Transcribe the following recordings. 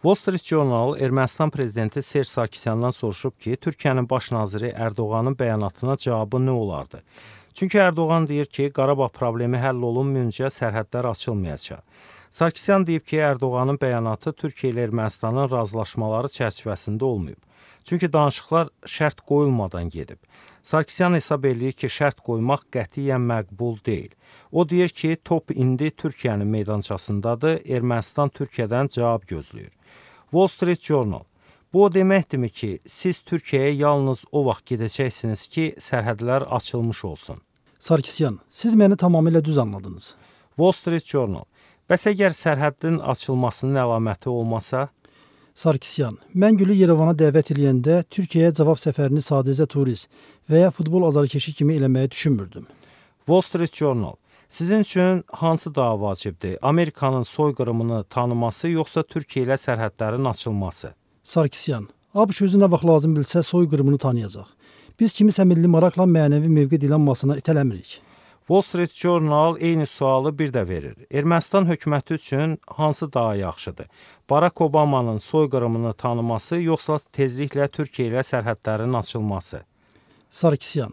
Wall Street Journal Ermənistan prezidenti Serj Sarkisyandan soruşub ki, Türkiyənin baş naziri Ərdoğanın bəyanatına cavabı nə olardı? Çünki Ərdoğan deyir ki, Qarabağ problemi həll olunmayınca sərhədlər açılmayacaq. Sarkisyan deyib ki, Ərdoğanın bəyanatı Türkiyə ilə Ermənistanın razılaşmaları çərçivəsində olmayıb. Çünki danışıqlar şərt qoyulmadan gedib. Sarkisyan hesab eləyir ki, şərt qoymaq qətiyyən məqbul deyil. O deyir ki, top indi Türkiyənin meydançasındadır, Ermənistan Türkiyədən cavab gözləyir. Wall Street Journal: bu o deməkdirmi ki, siz Türkiyəyə yalnız o vaxt gedəcəksiniz ki, sərhədlər açılmış olsun? Sarkisyan: siz məni tamamilə düz anladınız. Wall Street Journal: bəs əgər sərhədin açılmasının əlaməti olmasa? Sarkisyan: mən Gülü Yerevana dəvət edəndə Türkiyəyə cavab səfərini sadəcə turist və ya futbol azarkeşi kimi eləməyi düşünmürdüm. Wall Street Journal: sizin üçün hansı daha vacibdir? Amerikanın soyqırımını tanıması yoxsa Türkiyə ilə sərhədlərin açılması? Sarkisyan: ABŞ özü nə vaxt lazım bilsə soyqırımını tanıyacaq. Biz kimisə milli maraqla mənəvi mövqe dilanmasına itələmirik. Wall Street Journal eyni sualı bir də verir. Ermənistan hökuməti üçün hansı daha yaxşıdır? Barack Obamanın soyqırımını tanıması yoxsa tezliklə Türkiyə ilə sərhədlərin açılması? Sarkisyan: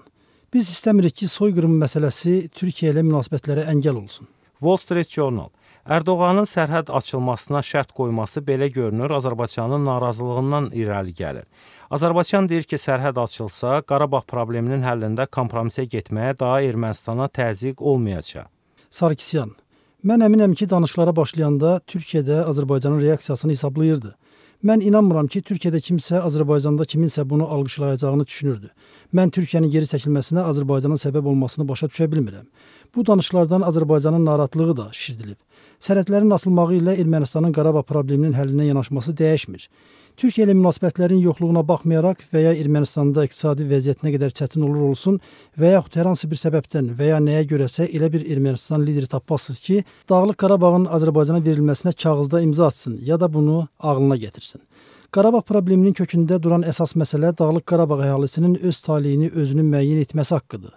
biz istəmirik ki, soyqırım məsələsi Türkiyə ilə münasibətlərə əngəl olsun. Wall Street Journal: Ərdoğanın sərhəd açılmasına şərt qoyması belə görünür, Azərbaycanın narazılığından irəli gəlir. Azərbaycan deyir ki, sərhəd açılsa, Qarabağ probleminin həllində kompromisə getməyə daha Ermənistana təzyiq olmayacaq. Sarkisyan: mən əminəm ki, danışıqlara başlayanda Türkiyədə Azərbaycanın reaksiyasını hesablayırdı. Mən inanmıram ki, Türkiyədə kimsə Azərbaycanda kiminsə bunu alqışlayacağını düşünürdü. Mən Türkiyənin geri çəkilməsinə Azərbaycanın səbəb olmasını başa düşə bilmirəm. Bu danışıqlardan Azərbaycanın narahatlığı da şişirdilib. Sərhədlərin açılmağı ilə Ermənistanın Qarabağ probleminin həllinə yanaşması dəyişmir. Türkiyə ilə münasibətlərin yoxluğuna baxmayaraq və ya Ermənistanda iqtisadi vəziyyət nə qədər çətin olur olsun və yaxud hər hansı bir səbəbdən və ya nəyə görəsə elə bir Ermənistan lideri tapmazsınız ki, Dağlıq Qarabağın Azərbaycana verilməsinə kağızda imza atsın ya da bunu ağlına gətirsin. Qarabağ probleminin kökündə duran əsas məsələ Dağlıq Qarabağ əhalisinin öz taleyini özünün müəyyən etməsi haqqıdır.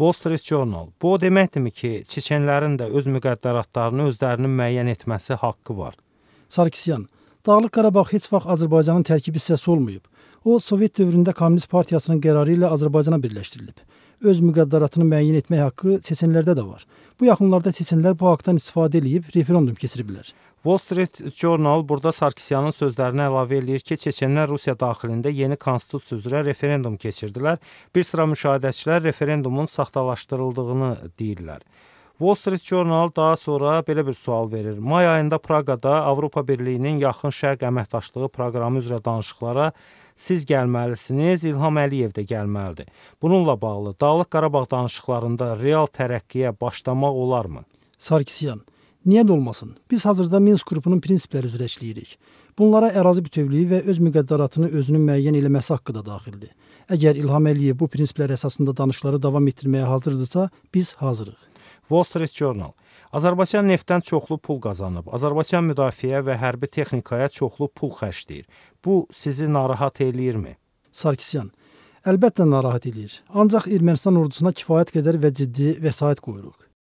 Wall Street Journal: bu o deməkdirmi ki, çeçenlərin də öz müqəddəratlarını özlərinin müəyyən etməsi haqqı var? Sarkisyan: Dağlıq Qarabağ heç vaxt Azərbaycanın tərkib hissəsi olmayıb. O, Sovet dövründə Komünist Partiyasının qərarı ilə Azərbaycana birləşdirilib. Öz müqəddəratını müəyyən etmək haqqı çeçenlərdə də var. Bu yaxınlarda çeçenlər bu haqqdan istifadə edib referendum keçiriblər. Wall Street Journal burada Sarkisyanın sözlərinə əlavə eləyir ki, çeçenlər Rusiya daxilində yeni konstitusiya üzrə referendum keçirdilər. Bir sıra müşahidəçilər referendumun saxtalaşdırıldığını deyirlər. Wall Street Journal daha sonra belə bir sual verir. May ayında Praqada Avropa Birliyinin Yaxın Şərq əməkdaşlığı proqramı üzrə danışıqlara siz gəlməlisiniz, İlham Əliyev də gəlməlidir. Bununla bağlı Dağlıq Qarabağ danışıqlarında real tərəqqiyə başlamaq olarmı? Sarkisyan: niyə də olmasın? Biz hazırda Minsk qrupunun prinsipləri üzrə işləyirik. Bunlara ərazi bütövlüyü və öz müqəddəratını özünün müəyyən eləməsi haqqı da daxildir. Əgər İlham Əliyev bu prinsiplər əsasında danışıqları davam etdirməyə hazırdırsa, biz hazırıq. Wall Street Journal: Azərbaycan neftdən çoxlu pul qazanıb. Azərbaycan müdafiə və hərbi texnikaya çoxlu pul xərcləyir. Bu sizi narahat eləyirmi? Sarkisyan: əlbəttə narahat eləyir. Ancaq Ermənistan ordusuna kifayət qədər və ciddi vəsait qoyuruq.